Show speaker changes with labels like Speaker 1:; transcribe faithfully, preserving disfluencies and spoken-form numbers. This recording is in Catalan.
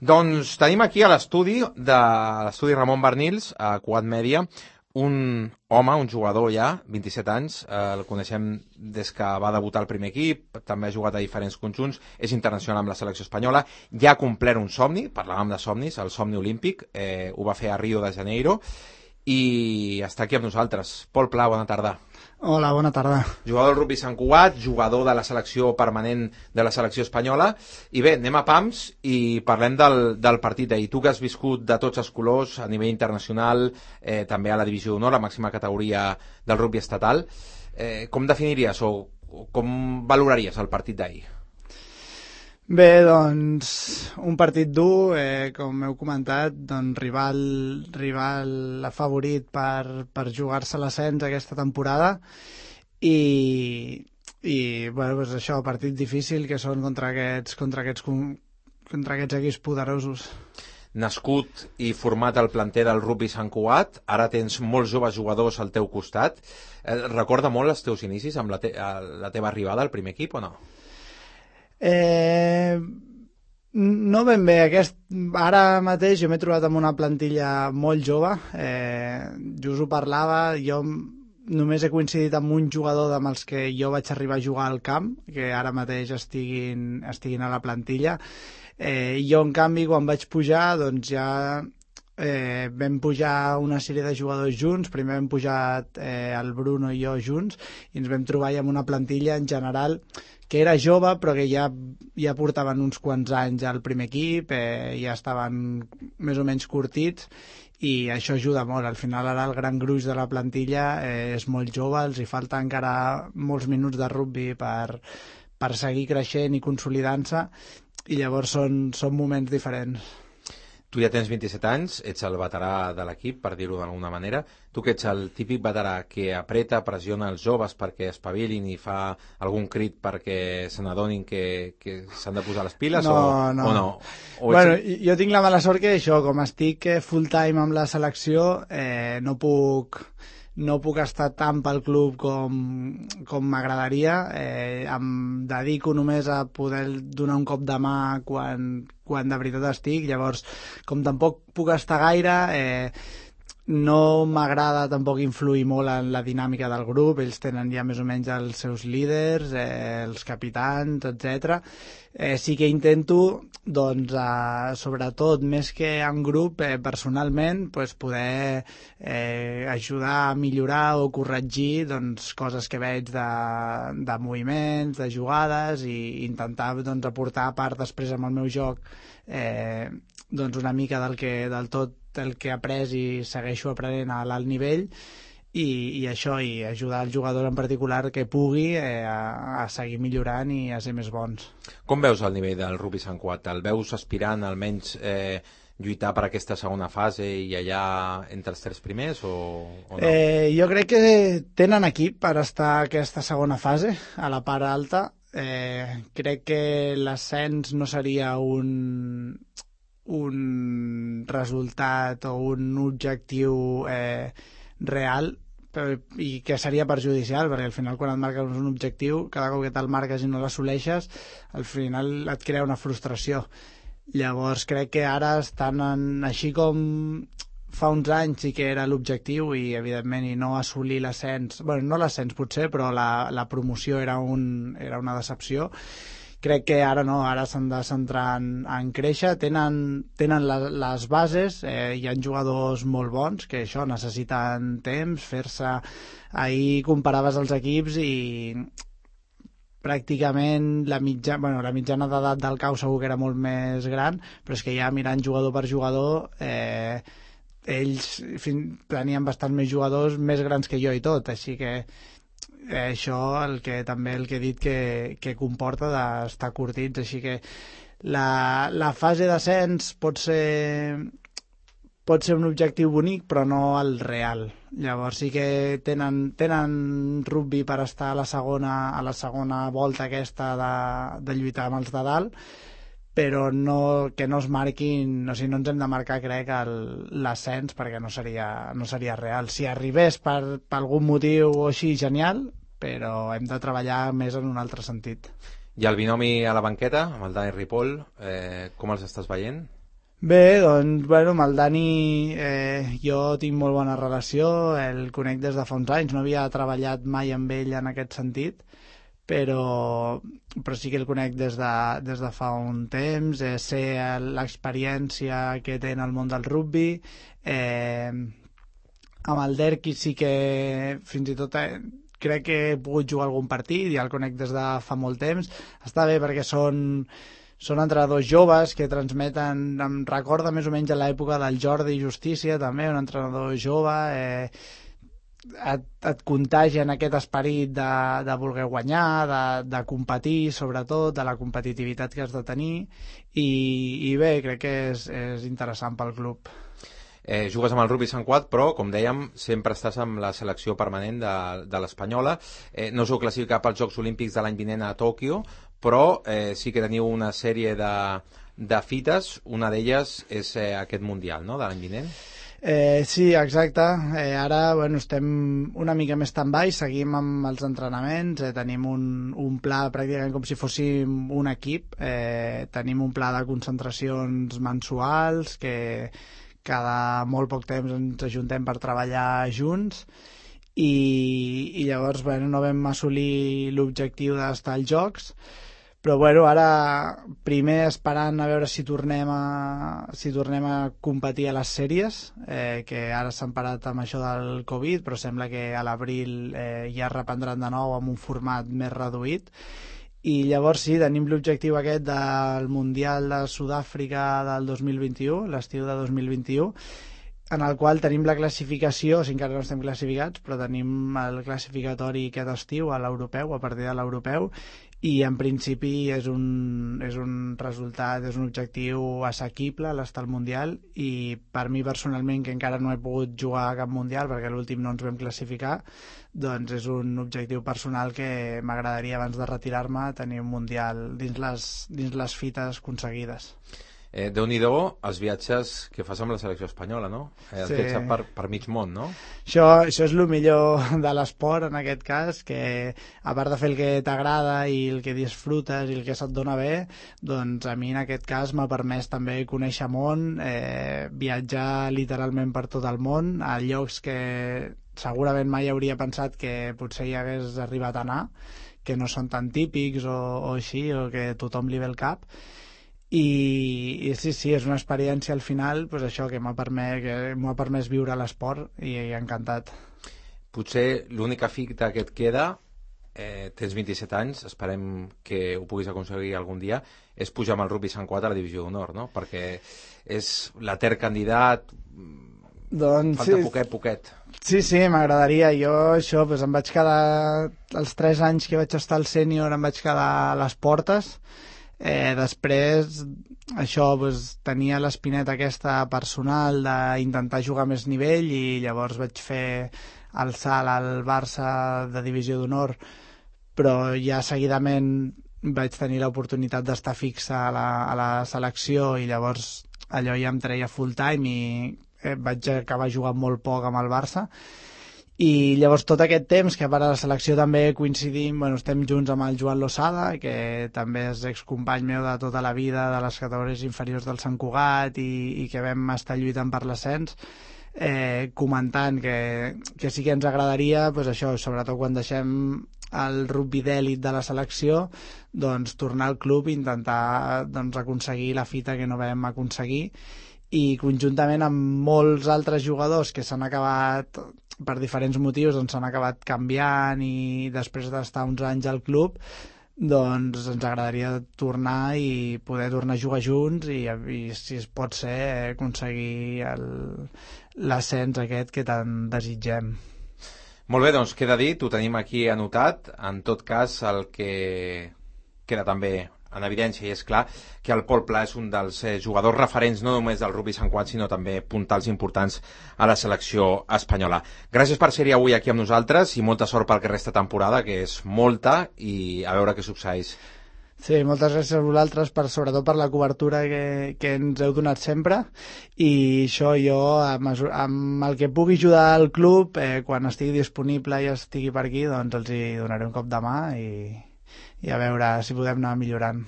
Speaker 1: Doncs tenim aquí a l'estudi de l'estudi Ramon Barnils, a Quad Media, un home, un jugador ja, vint-i-set anys, eh, el coneixem des que va debutar al primer equip, també ha jugat a diferents conjunts, és internacional amb la selecció espanyola, ja ha complert un somni, parlàvem de somnis, el somni olímpic, eh, ho va fer a Rio de Janeiro, i està aquí amb nosaltres. Pol Pla, bona tarda.
Speaker 2: Hola, bona tarda.
Speaker 1: Jugador del rugby Sant Cugat, jugador de la selecció permanent de la selecció espanyola, i bé, anem a pams i parlem del, del partit d'ahir. Tu que has viscut de tots els colors a nivell internacional, eh, també a la divisió d'honor, la màxima categoria del rugby estatal, eh, com definiries o, o com valoraries el partit d'ahir?
Speaker 2: Bé, doncs, un partit dur, eh, com heu comentat, doncs, rival, rival favorit per, per jugar-se l'ascens aquesta temporada i, i bueno, doncs això, partit difícil que són contra aquests, contra aquests, contra aquests equips poderosos.
Speaker 1: Nascut i format al planter del rugby Sant Cugat, ara tens molts joves jugadors al teu costat. Eh, recorda molt els teus inicis amb la, te la teva arribada al primer equip o no?
Speaker 2: Eh, no ben bé, aquest, ara mateix jo m'he trobat amb una plantilla molt jove, eh, just ho parlava, jo només he coincidit amb un jugador amb els que jo vaig arribar a jugar al camp, que ara mateix estiguin, estiguin a la plantilla, eh, jo en canvi quan vaig pujar doncs ja eh, vam pujar una sèrie de jugadors junts, primer vam pujar eh, el Bruno i jo junts i ens vam trobar amb una plantilla en general que era jove però que ja, ja portaven uns quants anys al primer equip, eh, ja estaven més o menys curtits i això ajuda molt. Al final ara el gran gruix de la plantilla eh, és molt jove, els hi falta encara molts minuts de rugby per, per seguir creixent i consolidant-se i llavors són, són moments diferents.
Speaker 1: Tu ja tens vint-i-set anys, ets el veterà de l'equip, per dir-ho d'alguna manera. Tu que ets el típic veterà que apreta, pressiona els joves perquè espavilin i fa algun crit perquè se n'adonin que, que s'han de posar les piles
Speaker 2: no,
Speaker 1: o
Speaker 2: no.
Speaker 1: o no? O
Speaker 2: bueno,
Speaker 1: ets...
Speaker 2: jo tinc la mala sort que això, com estic full time amb la selecció, eh, no puc... no puc estar tant pel club com, com m'agradaria, eh, em dedico només a poder donar un cop de mà quan, quan de veritat estic, llavors com tampoc puc estar gaire, eh, no m'agrada tampoc influir molt en la dinàmica del grup, ells tenen ja més o menys els seus líders, eh, els capitans, etcètera. Eh, sí que intento, doncs, eh, sobretot, més que en grup, eh, personalment, pues, poder eh, ajudar a millorar o corregir doncs, coses que veig de, de moviments, de jugades i intentar doncs, aportar a part després amb el meu joc eh, doncs, una mica del que, del tot el que he après i segueixo aprenent a l'alt nivell i, i això, i ajudar el jugador en particular que pugui eh, a, a seguir millorant i a ser més bons.
Speaker 1: Com veus el nivell del rugby Sant Cugat? El veus aspirant almenys eh, lluitar per aquesta segona fase i allà entre els tres primers o, o no?
Speaker 2: Eh, jo crec que tenen equip per estar a aquesta segona fase, a la part alta. Eh, crec que l'ascens no seria un... un resultat o un objectiu eh, real per, i que seria perjudicial perquè al final quan et marques un objectiu cada cop que te'l marques i no l'assoleixes al final et crea una frustració. Llavors crec que ara estan en, així com fa uns anys sí que era l'objectiu i evidentment i no assolir l'ascens, bueno, no l'ascens potser però la, la promoció era, un, era una decepció. Crec que ara no, ara s'han de centrar en, en créixer, tenen, tenen la, les bases, eh, hi ha jugadors molt bons que això necessiten temps, fer-se... Ahir comparaves els equips i pràcticament la, mitja, bueno, la mitjana d'edat del cau segur que era molt més gran, però és que ja mirant jugador per jugador eh, ells fin, tenien bastant més jugadors més grans que jo i tot, així que Eh, això el que també el que he dit que, que comporta d'estar curtits, així que la, la fase d'ascens pot ser pot ser un objectiu bonic però no el real. Llavors sí que tenen, tenen rugby per estar a la segona, a la segona volta aquesta de, de lluitar amb els de dalt, però no, que no es marquin, o sigui, no ens hem de marcar, crec, l'ascens perquè no seria, no seria real. Si arribés per, per algun motiu o així, genial, però hem de treballar més en un altre sentit.
Speaker 1: I el binomi a la banqueta, amb el Dani Ripoll, eh, com els estàs veient?
Speaker 2: Bé, doncs, bueno, amb el Dani eh, jo tinc molt bona relació, el conec des de fa uns anys, no havia treballat mai amb ell en aquest sentit, però, però sí que el conec des de, des de fa un temps, eh, sé l'experiència que té en el món del rugbi, eh, amb el Derqui sí que fins i tot eh, crec que he pogut jugar algun partit, ja el conec des de fa molt temps, està bé perquè són són entrenadors joves que transmeten, em recorda més o menys a l'època del Jordi Justícia també, un entrenador jove, eh, et, et contagien aquest esperit de, de voler guanyar, de, de competir sobretot, de la competitivitat que has de tenir i, i bé, crec que és, és interessant pel club.
Speaker 1: Eh, jugues amb el Rugby Sant Cugat, però, com dèiem, sempre estàs amb la selecció permanent de, de l'Espanyola. Eh, no us heu classificat pels Jocs Olímpics de l'any vinent a Tòquio, però eh, sí que teniu una sèrie de, de fites. Una d'elles és eh, aquest Mundial, no?, de l'any vinent.
Speaker 2: Eh, sí, exacte. Eh, ara bueno, estem una mica més stand-by, seguim amb els entrenaments, eh, tenim un, un pla pràcticament com si fóssim un equip, eh, tenim un pla de concentracions mensuals que cada molt poc temps ens ajuntem per treballar junts i, i llavors bueno, no vam assolir l'objectiu d'estar als Jocs, però bueno, ara primer esperant a veure si tornem a, si tornem a competir a les sèries, eh, que ara s'han parat amb això del Covid, però sembla que a l'abril eh, ja es reprendran de nou amb un format més reduït. I llavors sí, tenim l'objectiu aquest del Mundial de Sud-àfrica del dos mil vint-i-u, l'estiu de dos mil vint-i-u, en el qual tenim la classificació, o sigui, encara no estem classificats, però tenim el classificatori aquest estiu a l'europeu, a partir de l'europeu, i en principi és un, és un resultat, és un objectiu assequible l'estar al Mundial, i per mi personalment, que encara no he pogut jugar a cap Mundial perquè l'últim no ens vam classificar, doncs és un objectiu personal que m'agradaria abans de retirar-me tenir un Mundial dins les, dins les fites aconseguides.
Speaker 1: Eh, Déu-n'hi-do els viatges que fas amb la selecció espanyola, no? Eh, has
Speaker 2: Sí.
Speaker 1: viatjat per, per mig món, no?
Speaker 2: Això, això és el millor de l'esport en aquest cas, que a part de fer el que t'agrada i el que disfrutes i el que se't dona bé, doncs a mi en aquest cas m'ha permès també conèixer món, eh, viatjar literalment per tot el món, a llocs que segurament mai hauria pensat que potser hi hagués arribat a anar, que no són tan típics o, o així, o que tothom li ve al cap. I, i sí, sí, és una experiència al final, pues això, que m'ha permès, que m'ha permès viure l'esport i, i encantat.
Speaker 1: Potser l'única fita que et queda, eh, tens vint-i-set anys, esperem que ho puguis aconseguir algun dia, és pujar amb el Rugby Sant Cugat a la divisió d'honor, no? Perquè és l'etern candidat,
Speaker 2: Doncs
Speaker 1: falta
Speaker 2: sí,
Speaker 1: poquet, poquet.
Speaker 2: sí, sí, m'agradaria. Jo això, pues, em vaig quedar, els tres anys que vaig estar al sènior em vaig quedar a les portes. Eh, després això pues, tenia l'espineta aquesta personal d'intentar jugar a més nivell i llavors vaig fer el salt al Barça de divisió d'honor, però ja seguidament vaig tenir l'oportunitat d'estar fixa a la, a la selecció i llavors allò ja em treia full time i eh, vaig acabar jugant molt poc amb el Barça. I llavors tot aquest temps, que a part de la selecció també coincidim, bueno, estem junts amb el Joan Losada, que també és excompany meu de tota la vida de les categories inferiors del Sant Cugat i, i que vam estar lluitant per l'ascens, eh, comentant que, que sí que ens agradaria, pues això, sobretot quan deixem el rugby d'èlit de la selecció, doncs tornar al club i intentar doncs, aconseguir la fita que no vam aconseguir, i conjuntament amb molts altres jugadors que s'han acabat per diferents motius, doncs s'han acabat canviant i després d'estar uns anys al club, doncs ens agradaria tornar i poder tornar a jugar junts i, i si es pot ser aconseguir el- l'ascens aquest que tant desitgem.
Speaker 1: Molt bé, doncs queda dit, ho tenim aquí anotat. En tot cas, el que queda també en evidència i és clar que el Pol Pla és un dels eh, jugadors referents no només del Rugby Sant Cugat sinó també puntals importants a la selecció espanyola. Gràcies per ser-hi avui aquí amb nosaltres i molta sort pel que resta temporada, que és molta, i a veure què succeeix.
Speaker 2: Sí, moltes gràcies a vosaltres, per, sobretot per la cobertura que, que ens heu donat sempre, i això jo, amb, amb el que pugui ajudar al club, eh, quan estigui disponible i estigui per aquí, doncs els hi donaré un cop de mà i, i a veure si podem anar millorant.